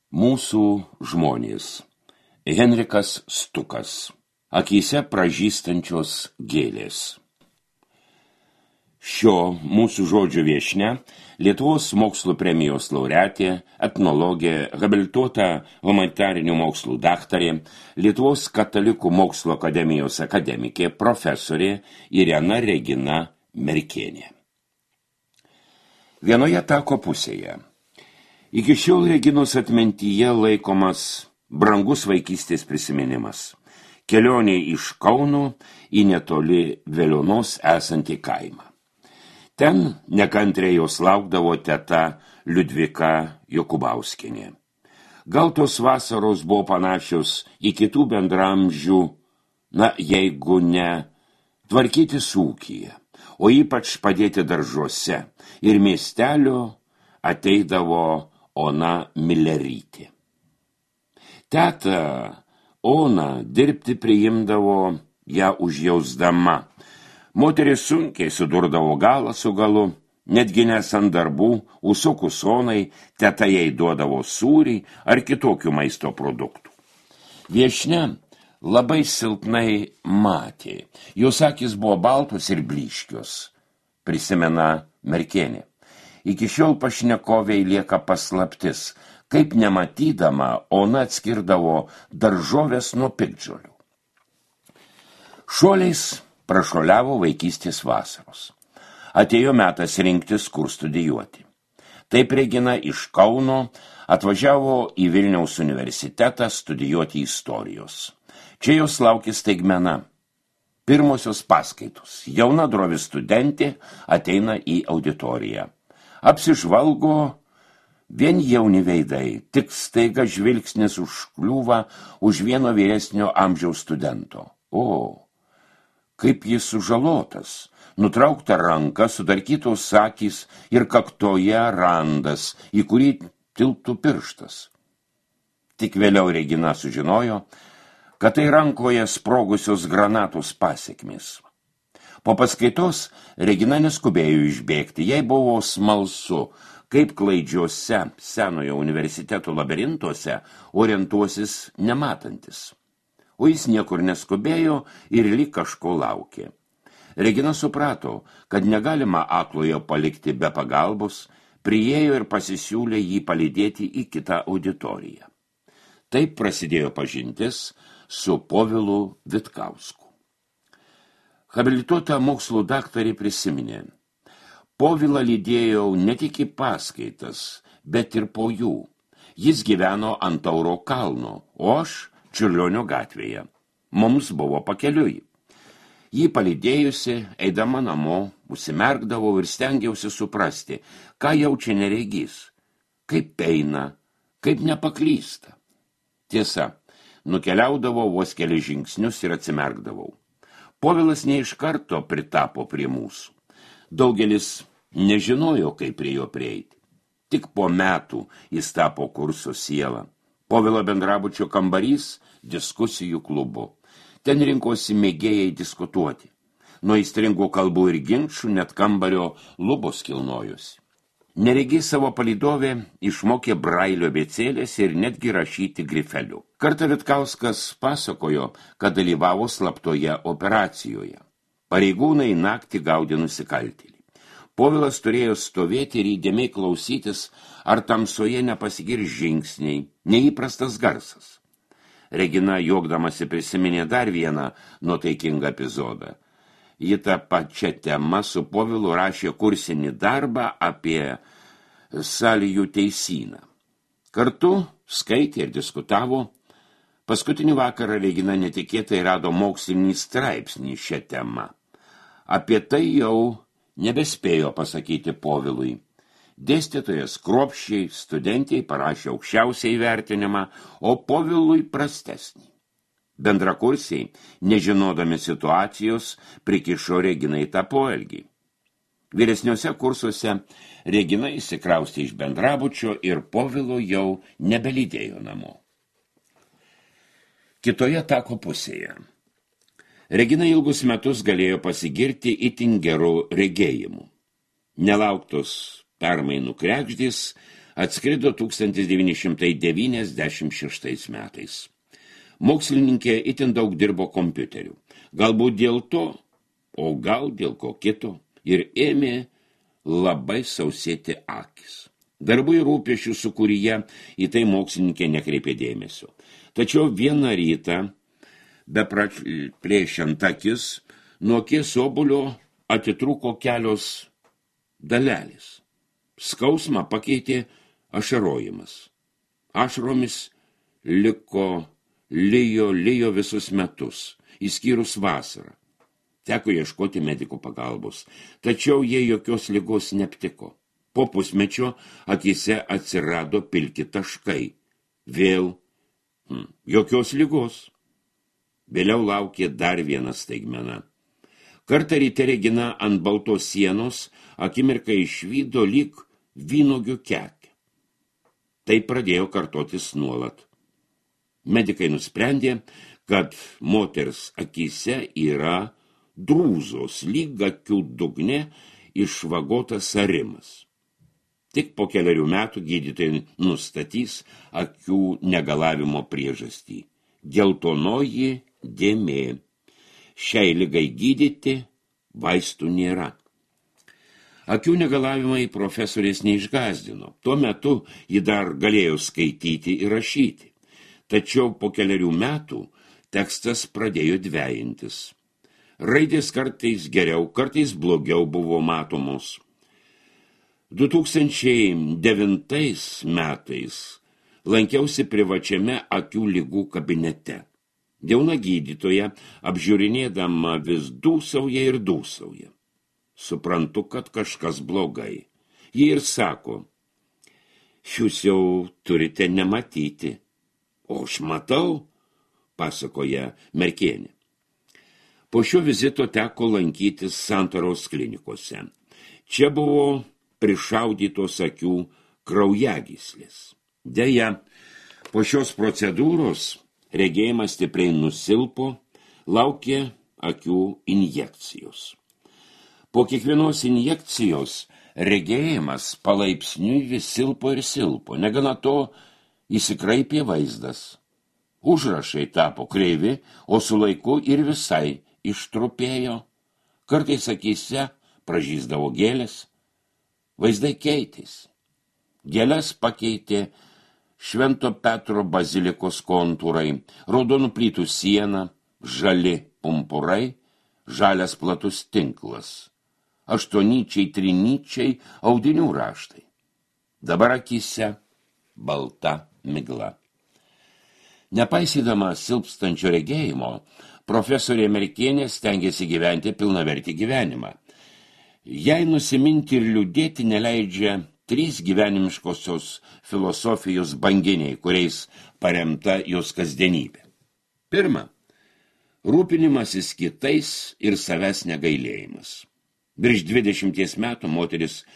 Mūsų žmonės. Henrikas Stukas. Akyse pražystančios gėlės. Šio mūsų žodžio viešnia Lietuvos mokslo premijos laureatė, etnologė, habilituota humanitarinių mokslų daktarė, Lietuvos katalikų mokslo akademijos akademikė, profesorė Irena Regina Merkienė. Vienoje tako pusėje. Iki šiol Reginos atmintyje laikomas brangus vaikystės prisiminimas. Kelionė iš Kauno į netoli Veliuonos esantį kaimą. Ten nekantriai jos laukdavo teta Liudvika Jokubauskienė. Gal tos vasaros buvo panašios į kitų bendramžių, jeigu ne, tvarkytis ūkyje, o ypač padėti daržuose, ir miestelio ateidavo Ona Milerytė. Teta Ona dirbti priimdavo ją užjausdama. Moteris sunkiai sudurdavo galą su galu, netgi nesant darbų, užsukus Onai, teta jai duodavo sūrį ar kitokių maisto produktų. Viešnia labai silpnai matė, jos akys buvo baltos ir blyškios, prisimena Merkienė. Iki šiol pašnekoviai lieka paslaptis, kaip nematydama Ona atskirdavo daržovės nuo piktžolių. Šuoliais prašuoliavo vaikystės vasaros. Atėjo metas rinktis, kur studijuoti. Taip Regina iš Kauno atvažiavo į Vilniaus universitetą studijuoti istorijos. Čia jos laukė staigmena. Pirmosios paskaitos. Jauna drovi studentė ateina į auditoriją. Apsižvalgo vien jauni veidai, tik staiga žvilgsnis užkliūva už vieno vyresnio amžiaus studento. O, kaip jis sužalotas, nutraukta ranka, sudarkytos akys ir kaktoje randas, į kurį tilptų pirštas. Tik vėliau Regina sužinojo, kad tai rankoje sprogusios granatos pasekmės. Po paskaitos Regina neskubėjo išbėgti, jai buvo smalsu, kaip klaidžiuose senojo universiteto labirintuose orientuosis nematantis. O jis niekur neskubėjo ir lyg kažko laukė. Regina suprato, kad negalima aklojo palikti be pagalbos, priėjo ir pasisiūlė jį palydėti į kitą auditoriją. Taip prasidėjo pažintis su Povilu Vitkausku. Habilituota mokslų daktarė prisiminė. Povilą lydėjau ne tik į paskaitas, bet ir po jų. Jis gyveno ant Tauro kalno, o aš Čiurlionio gatvėje. Mums buvo pakeliui. Jį palydėjusi, eidama namo, užsimerkdavau ir stengiausi suprasti, ką jaučia neregys, kaip eina, kaip nepaklysta. Tiesa, nukeliaudavau vos keli žingsnius ir atsimerkdavau. Povilas ne iš karto pritapo prie mūsų. Daugelis nežinojo, kaip prie jo prieiti. Tik po metų jis tapo kurso siela. Povilo bendrabučio kambarys diskusijų klubu. Ten rinkosi mėgėjai diskutuoti. Nuo aistringų kalbų ir ginčų net kambario lubos kilnojosi. Neregiai savo palydovė išmokė brailio abėcėlės ir netgi rašyti grifeliu. Kartą Vitkauskas pasakojo, kad dalyvavo slaptoje operacijoje. Pareigūnai naktį gaudė nusikaltėlį. Povilas turėjo stovėti ir įdėmiai klausytis, ar tamsoje nepasigirs žingsniai, neįprastas garsas. Regina juokdamasi prisiminė dar vieną nuotaikingą epizodą. Ji tą pačią temą su Povilu rašė kursinį darbą apie Salijų teisyną. Kartu skaitė ir diskutavo. Paskutinį vakarą Regina netikėtai rado mokslinį straipsnį šią temą. Apie tai jau nebespėjo pasakyti Povilui. Dėstytojas kruopščiai studentiai parašė aukščiausią įvertinimą, o Povilui prastesnį. Bendrakursiai, nežinodami situacijos, prikišo Reginai tą poelgį. Vyresniuose kursuose Regina įsikraustė iš bendrabučio ir Povilo jau nebelydėjo namo. Kitoje tako pusėje. Regina ilgus metus galėjo pasigirti itin gerų regėjimų. Nelauktos permainų kregždės atskrido 1996 metais. Mokslininkė itin daug dirbo kompiuteriu. Galbūt dėl to, o gal dėl ko kito, ir ėmė labai sausėti akis. Darbų ir rūpesčių sukūryje į tai mokslininkė nekreipė dėmesio. Tačiau vieną rytą, beplėšiant akis, nuo akies obuolio atitrūko kelios dalelės. Skausmą pakeitė ašarojimas. Ašaromis lijo visus metus, išskyrus vasarą. Teko ieškoti medikų pagalbos, tačiau jie jokios ligos neaptiko. Po pusmečio akyse atsirado pilki taškai. Vėl jokios ligos. Vėliau laukė dar viena staigmena. Kartą ryte Regina ant baltos sienos akimirką išvydo lyg vynuogių kekę. Tai pradėjo kartotis nuolat. Medikai nusprendė, kad moters akyse yra drūzos, lyg akių dugne išvagotas arimas. Tik po keliarių metų gydytojai nustatys akių negalavimo priežastį. Geltonoji dėmė. Šiai ligai gydyti vaistų nėra. Akių negalavimai profesorės neišgazdino. Tuo metu ji dar galėjo skaityti ir rašyti. Tačiau po keliarių metų tekstas pradėjo dvejintis. Raidės kartais geriau, kartais blogiau buvo matomos. 2009 metais lankiausi privačiame akių ligų kabinete. Jauna gydytoja, apžiūrinėdama vis dūsauja ir dūsauja. Suprantu, kad kažkas blogai. Ji ir sako, jūs jau turite nematyti. O aš matau, pasakoja Merkienė. Po šio vizito teko lankytis Santaros klinikose. Čia buvo prišaudytos akių kraujagyslės. Deja, po šios procedūros regėjimas stipriai nusilpo, laukė akių injekcijos. Po kiekvienos injekcijos regėjimas palaipsniui vis silpo ir silpo. Negana to, įsikraipė vaizdas. Užrašai tapo kreivi, o su laiku ir visai ištrupėjo. Kartais akyse pražysdavo gėlės. Vaizdai keitėsi. Gėles pakeitė Švento Petro bazilikos kontūrai, raudonų plytų siena, žali pumpurai, žalias platus tinklas, 8-nyčiai, 3-nyčiai audinių raštai. Dabar akyse balta migla. Nepaisydama silpstančio regėjimo, profesorė Merkienė stengėsi gyventi pilnavertį gyvenimą. Jai nusiminti ir liūdėti neleidžia 3 gyvenimiškosios filosofijos banginiai, kuriais paremta jos kasdienybė. Pirma, rūpinimasis kitais ir savęs negailėjimas. Virš 20 metų moteris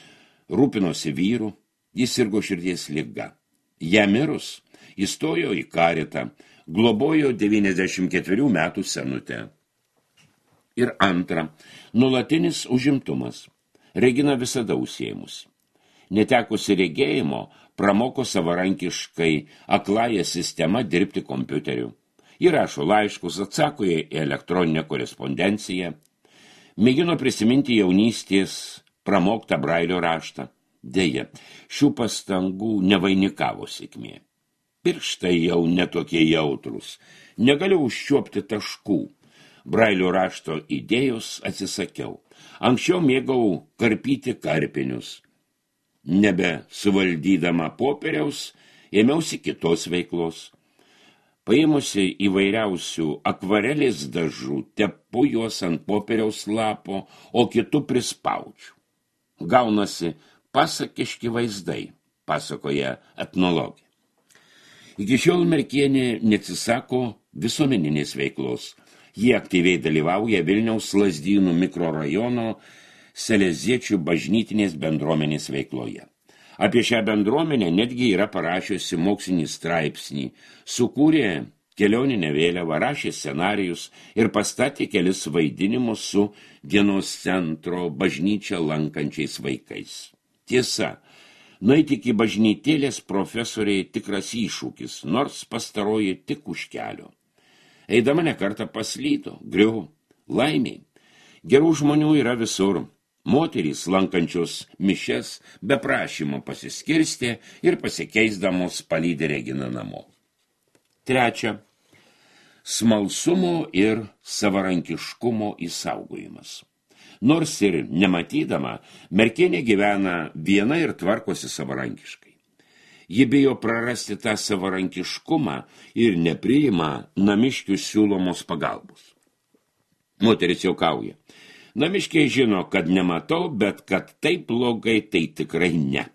rūpinosi vyru, jis sirgo širdies liga. Ja mirus, įstojo į karitą, globojo 94 metų senutę. Ir antra, nuolatinis užimtumas. Regina visada užsiėmusi. Netekusi regėjimo, pramoko savarankiškai akląją sistemą dirbti kompiuteriu. Ji rašo laiškus, atsako į elektroninę korespondenciją, mėgino prisiminti jaunystės pramoktą Brailio raštą. Deja, šių pastangų nevainikavo sėkmė. Pirštai jau netokie jautrus, negaliu užčiuopti taškų. Brailio rašto idėjos atsisakiau. Anksčiau mėgau karpyti karpinius. Nebe suvaldydama popieriaus, ėmiausi kitos veiklos. Paėmusi įvairiausių akvarelės dažų, tepu juos ant popieriaus lapo, o kitų prispaudžiu. Gaunasi pasakiški vaizdai, pasakoja etnologė. Iki šiol Merkienė neatsisako visuomeninės veiklos. Jie aktyviai dalyvauja Vilniaus Lazdynų mikrorajono Seleziečių bažnytinės bendruomenės veikloje. Apie šią bendruomenę netgi yra parašiusi mokslinį straipsnį, sukūrė kelioninę vėliavą, rašė scenarijus ir pastatė kelis vaidinimus su dienos centro bažnyčią lankančiais vaikais. Tiesa, Nueiti iki bažnytėlės profesoriai tikras iššūkis, nors pastaroji tik už kelio. Eidama nekartą paslydo, griuvo, laimiai. Gerų žmonių yra visur. Moterys, lankančios mišes, be prašymo pasiskirstė ir pasikeisdamos palydė Reginą namo. 3. Smalsumo ir savarankiškumo išsaugojimas. Nors ir nematydama, merkienė gyvena viena ir tvarkosi savarankiškai. Ji bijo prarasti tą savarankiškumą ir nepriima namiškių siūlomos pagalbos. Moteris juokauja. Namiškiai žino, kad nematau, bet kad taip blogai, tai tikrai ne.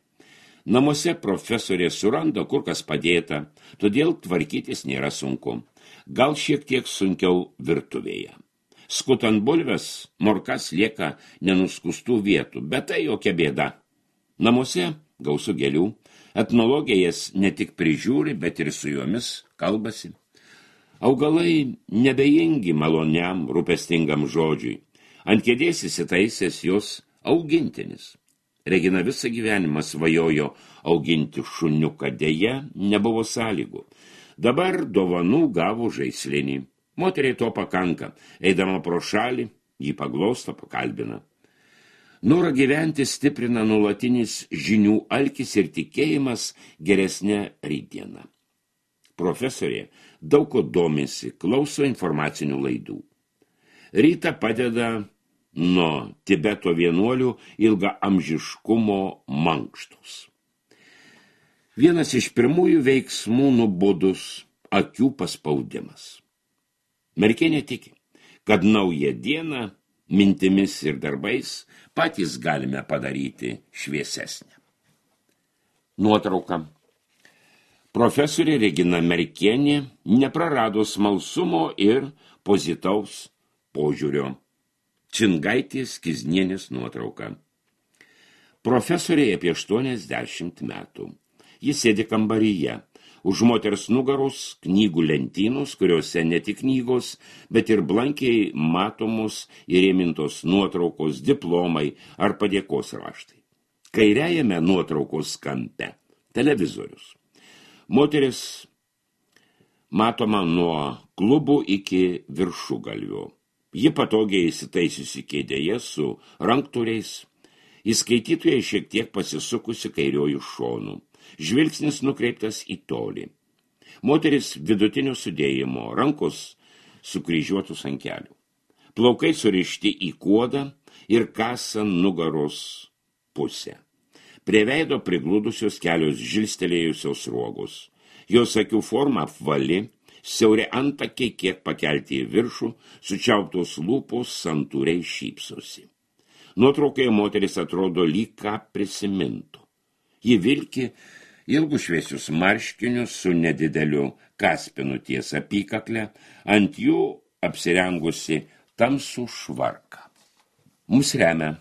Namuose profesorė suranda, kur kas padėta, todėl tvarkytis nėra sunku. Gal šiek tiek sunkiau virtuvėje. Skutant bulves, morkas lieka nenuskustų vietų, bet tai jokia bėda. Namuose gausu gėlių, etnologija jas ne tik prižiūri, bet ir su jomis kalbasi. Augalai nebejingi maloniam, rūpestingam žodžiui. Ant kėdės įsitaisęs jos augintinis. Regina visą gyvenimą svajojo auginti šuniuką, deja nebuvo sąlygų. Dabar dovanų gavo žaislinį. Moteriai to pakanka. Eidama pro šalį, jį paglosto, pakalbina. Norą gyventi stiprina nuolatinis žinių alkis ir tikėjimas geresnė rytdiena. Profesorė daug ko domisi, klauso informacinių laidų. Rytą padeda nuo Tibeto vienuolių ilga amžiškumo mankštos. Vienas iš pirmųjų veiksmų nubudus akių paspaudimas. Merkienė tiki, kad naują dieną mintimis ir darbais patys galime padaryti šviesesnę. Nuotrauka. Profesorė Regina Merkienė neprarado smalsumo ir pozityvaus požiūrio. Čingaitės Kiznienės nuotrauka. Profesorė apie 80 metų. Jis sėdi kambaryje. Už moters nugaros knygų lentynos, kuriuose ne tik knygos, bet ir blankiai matomos įrėmintos nuotraukos, diplomai ar padėkos raštai. Kairiajame nuotraukos kampe televizorius. Moteris matoma nuo klubų iki viršugalvio. Ji patogiai įsitaisiusi kėdėje su ranktūriais, įskaitytojai šiek tiek pasisukusi kairiojų šonų. Žvilgsnis nukreiptas į tolį. Moteris vidutinio sudėjimo, rankos sukryžiuotus ant kelių. Plaukai surišti į kuodą ir kasa nugaros pusę. Prie veido prigludusios kelios žilstelėjusios ruogos. Jos akių forma apvali, siauri antakiai kiek pakelti į viršų, sučiauptos lūpos santūriai šypsosi. Nuotraukoje moteris atrodo lyg ką prisimintų. Ji vilki ilgus šviesius marškinius su nedideliu kaspinu ties apykaklę, ant jų apsirengusi tamsų švarką. Mums remia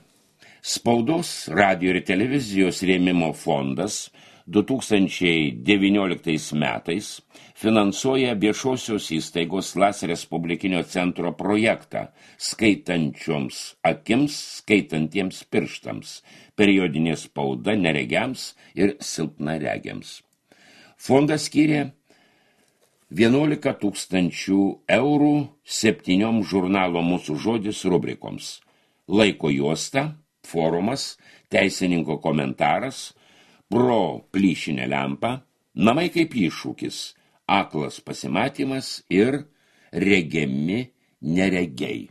Spaudos, radijo ir televizijos rėmimo fondas 2019 metais finansuoja viešosios įstaigos LAS Respublikinio centro projektą skaitančioms akims, skaitantiems pirštams, periodinė spauda neregiams ir silpnaregiams. Fondas skyrė 11 000 eurų 7 žurnalo Mūsų žodis rubrikoms. Laiko juosta, forumas, teisininko komentaras, pro plyšinę lempą, namai kaip iššūkis, aklas pasimatymas ir regiami neregiai.